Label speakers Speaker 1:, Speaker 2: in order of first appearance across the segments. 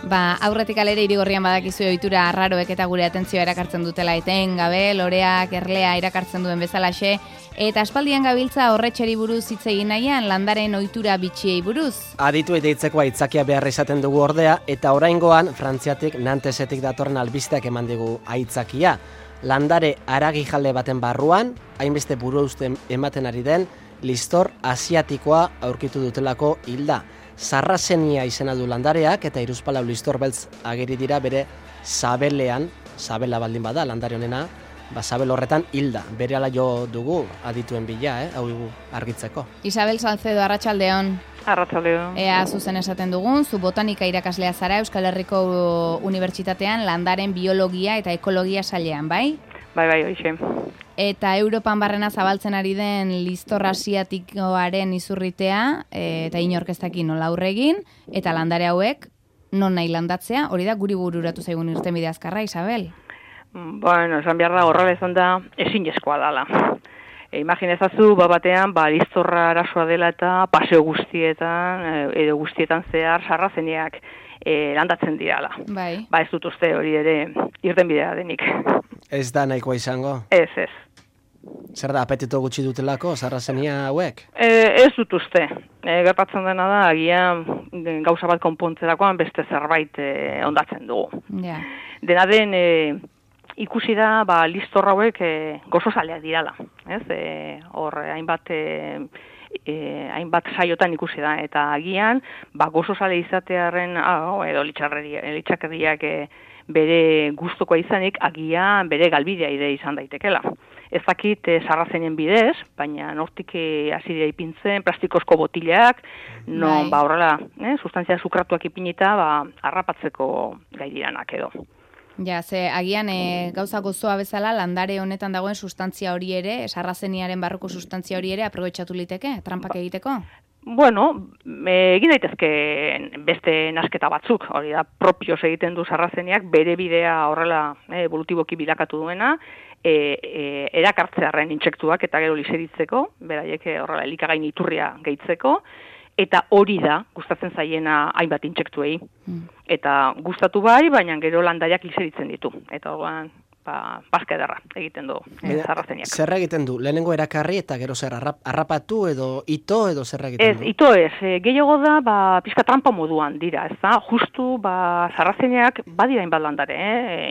Speaker 1: Aurretik alere Irigorrian badakizu ohitura arraroek eta gure atentzioa erakartzen dutela etengabe, loreak, erlea erakartzen duen bezalaxe, eta aspaldian gabiltza horretxeri buruz hitz egin nahian landaren ohitura bitxiei buruz.
Speaker 2: Aditu eta hitzekoa aitzakia behar izaten dugu ordea, eta oraingoan Frantziatik Nantesetik datorren albisteak eman digu aitzakia. Landare haragijale baten barruan, hainbeste buruauste ematen ari den, listor asiatikoa aurkitu dutelako hilda. Sarrazenia izena du landareak eta hiruzpalau listor beltz ageri dira bere sabelean, sabela baldin bada landare honena, sabel horretan hilda. Berehala jo dugu adituen bila, hau argitzeko.
Speaker 1: Isabel Salcedo, arratsaldeon.
Speaker 3: Arratsaldeon.
Speaker 1: Ea zuzen esaten dugun, zu botanika irakaslea zara Euskal Herriko Unibertsitatean landaren biologia eta ekologia sailean, bai?
Speaker 3: Bai, hoxe.
Speaker 1: Eta Europan barrena zabaltzen ari den listor asiatikoaren izurritea, eta inork ez daki nola aurre egin, eta landare hauek non nahi landatzea, hori da guri bururatu zaigun irtenbide azkarra, Isabel?
Speaker 3: Bueno, esan behar da, horrela izan da, ezinezkoa dala. Imaginezazu, batean, listorra arazoa dela eta paseo guztietan, edo guztietan zehar sarrazeneak landatzen dirala.
Speaker 1: Bai.
Speaker 3: Ez dut uste hori ere irtenbidea denik.
Speaker 2: Ez da nahikoa izango?
Speaker 3: Ez.
Speaker 2: Zer da, apetito gutxi dutelako, sarrazenia hauek?
Speaker 3: Ez dut uste. Gertatzen dena da, agian gauza bat konpontzerakoan beste zerbait ondatzen dugu.
Speaker 1: Ja.
Speaker 3: Dena den, ikusi da, listor hauek gozozaleak dirala. Hor, hainbat saiotan ikusi da, eta agian, gozozale izatearen, edo litxakerriak bere gustukoa izanik, agian bere galbidea ide izan daitekela. Ez dakit sarrazenen bidez, baina nortik hasi dira ipintzen, plastikozko botilak, non horrela, sustantzia sukratuak ipinita, harrapatzeko gai diranak edo.
Speaker 1: Ja, agian gauza gozoa bezala landare honetan dagoen sustantzia hori ere, sarrazeniaren barruko sustantzia hori ere aprobetxatu liteke, trampak egiteko?
Speaker 3: Bueno, egin daitezke beste nasketa batzuk, hori da, propios egiten du sarrazeniak, bere bidea horrela evolutiboki bilakatu duena, erakartzearen intsektuak eta gero liseritzeko, beraiek horrela elikagain iturria gehitzeko, eta hori da, gustatzen zaiena hainbat intsektuei. Eta gustatu bai, baina gero landaiak liseritzen ditu. Eta horrean, paska ederra egiten du sarrazeniak.
Speaker 2: Zer egiten du? Lehenengo erakarri eta gero zer harrapatu edo ito edo zer egiten du?
Speaker 3: Ez, ito ez. Gehiago da, pizka trampa moduan dira, ez da? Justu, sarrazeniak badira inbat landare,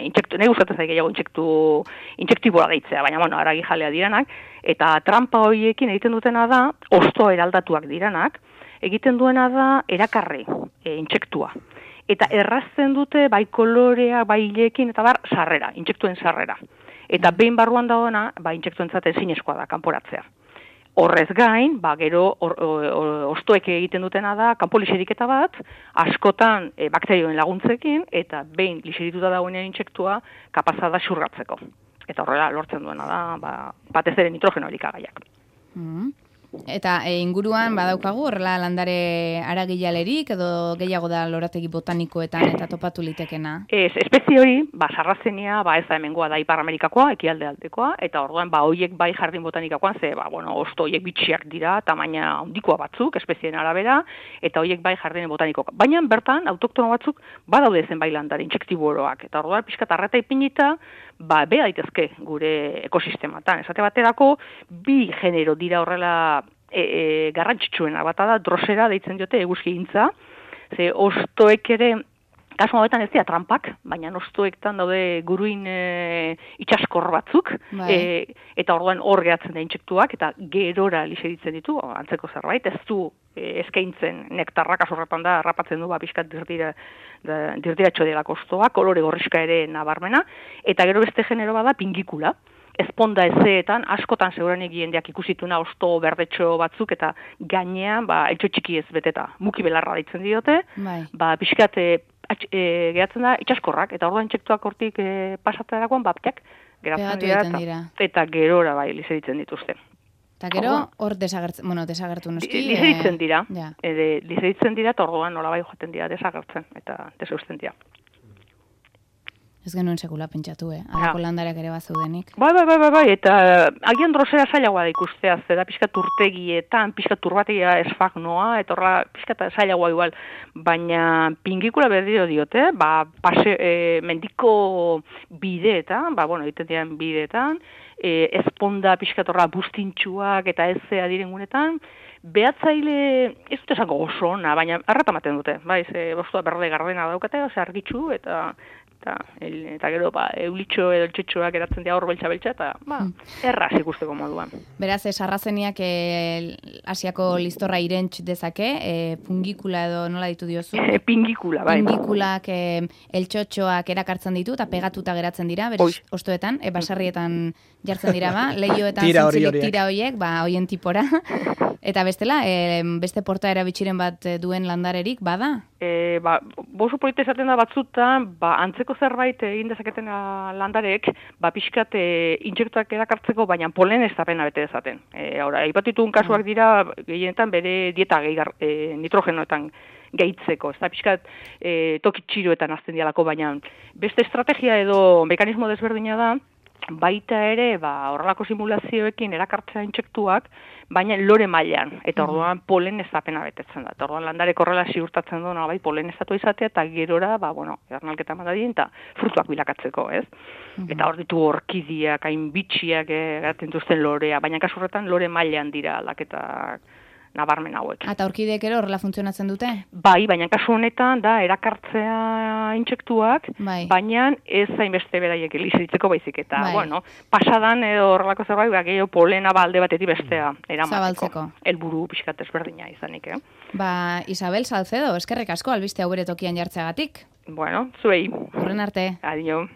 Speaker 3: nahi gustatzen zai gehiago intsektibora deitzea, baina, aragi jalea diranak, eta trampa horiekin egiten dutena da, osto eraldatuak diranak, egiten duena da erakarri, intsektua. Eta errazten dute bai kolorea, bai hilekin, eta sarrera, intsektuen sarrera. Eta behin barruan dagoena, intsektuentzat ezinezkoa da, kanporatzea. Horrez gain, gero ostoek egiten dutena da, kanpo liseriketa bat, askotan bakterioen laguntzekin, eta behin liserituta dagoenean intsektua, kapazada xurgatzeko. Eta horrela lortzen duena da, batez ere nitrogeno elikagaiak.
Speaker 1: Eta inguruan badaukagu horrela landare haragijalerik edo gehiago da lorategi botanikoetan eta topatu litekena?
Speaker 3: Espezie hori, sarrazenia, ez da hemengoa da Ipar Amerikakoa, ekialde aldekoa, eta orduan hoiek bai jardin botanikakoan, osto hoiek bitxiak dira, tamaina handikoa batzuk, espezien arabera, eta hoiek bai jardin botanikoa. Baina bertan, autoktono batzuk, badaude zen bai landare, intsektiboroak, eta orduan pixkat arreta ipinita, beha daitezke gure ekosistematan. Esate baterako, bi genero dira horrela garrantzitsuena, bata da drosera deitzen diote eguzkigintza, ze ostoek ere, kasu hauetan ez dira trampak, baina ostoektan daude guruin itxaskor batzuk, eta orduan hor gehatzen da intsektuak, eta gerora liseritzen ditu, antzeko zerbait, ez du eskaintzen nektarrak, asorretan da, rapatzen du, pixkat dirdiratxo dela kostoa, kolore gorriska ere nabarmena, eta gero beste genero bada pingikula. Ezponda ezeetan, askotan segurenik jendeak ikusituna osto berdetxo batzuk, eta gainean, eltxo txiki ez beteta, muki belarra ditzen diote, pixkat gehatzen da itxaskorrak, eta orduan intsektuak hortik pasatzerakoan, bapteak geratzen dira, eta gerora liseritzen dituzte.
Speaker 1: Eta gero, hor desagertu noski?
Speaker 3: Liseritzen dira, eta orduan nola bai joaten dira desagertzen, eta deseusten dira.
Speaker 1: Ez genuen sekula pentsatu, Alako landareak ere bazeudenik.
Speaker 3: Bai, eta agian drosera zailagoa da ikustea, zera pixkat urtegietan, pixkat turbategia esfagnoa, eta horra pixkat zailagoa igual, baina pingikula berdiro diote, mendiko bideetan, egiten diren bideetan, ezponda pixkat horra bustintxuak eta ezea direngunetan, behatzaile, ez dute esango oso ona, baina erratamaten dute, bai, bostua berde gardena daukate, argitxu, eta gero eulitxo edo eltxetxoak eratzen dira hor beltza-beltza, eta erraz ikusteko moduan.
Speaker 1: Beraz, sarrazeniak Asiako listorra irentx dezake, pungikula edo nola ditu diozu?
Speaker 3: Pingikula, bai.
Speaker 1: Pingikulak eltxotxoak erakartzen ditu, eta pegatuta geratzen dira, berez, ostoetan, basarrietan jartzen dira, lehioetan zintzilik tira horiek, hoien tipora. Eta bestela, beste portaera bitxiren bat duen landarerik, bada?
Speaker 3: Boso polita esaten da batzutan, antzeko zerbait egin dezaketen landarek, pixkat intsektuak erakartzeko, baina polen ez da pena bete dezaten. Aipatitun kasuak dira, gehienetan bere dieta nitrogenoetan gehitzeko, ez da pixkat tokitxiroetan azten dialako, baina beste estrategia edo mekanismo desberdina da, baita ere, horrelako simulazioekin erakartzea intsektuak, baina lore mailan, eta orduan polen ez da pena betetzen da. Eta orduan landarek horrela ziurtatzen du, polen ez datu izatea, eta gerora, ernalketa madadien, eta frutuak bilakatzeko, ez? Eta hor ditu orkidiak, hain bitxiak eraten duzten lorea, baina kasurretan lore mailan dira aldaketak nabarmen hauek.
Speaker 1: Eta orkideek ere horrela funtzionatzen dute?
Speaker 3: Bai, baina kasu honetan da erakartzea intsektuak, baina ez hainbeste beraiek elizitzeko baizik eta, pasadan edo horrelako zerbait, gehiago polena alde batetik bestea eramateko. Helburu pixkat ezberdina izanik,
Speaker 1: Isabel Salcedo, eskerrik asko albiste hau bere tokian jartzeagatik.
Speaker 3: Zuei.
Speaker 1: Horren arte.
Speaker 3: Adio.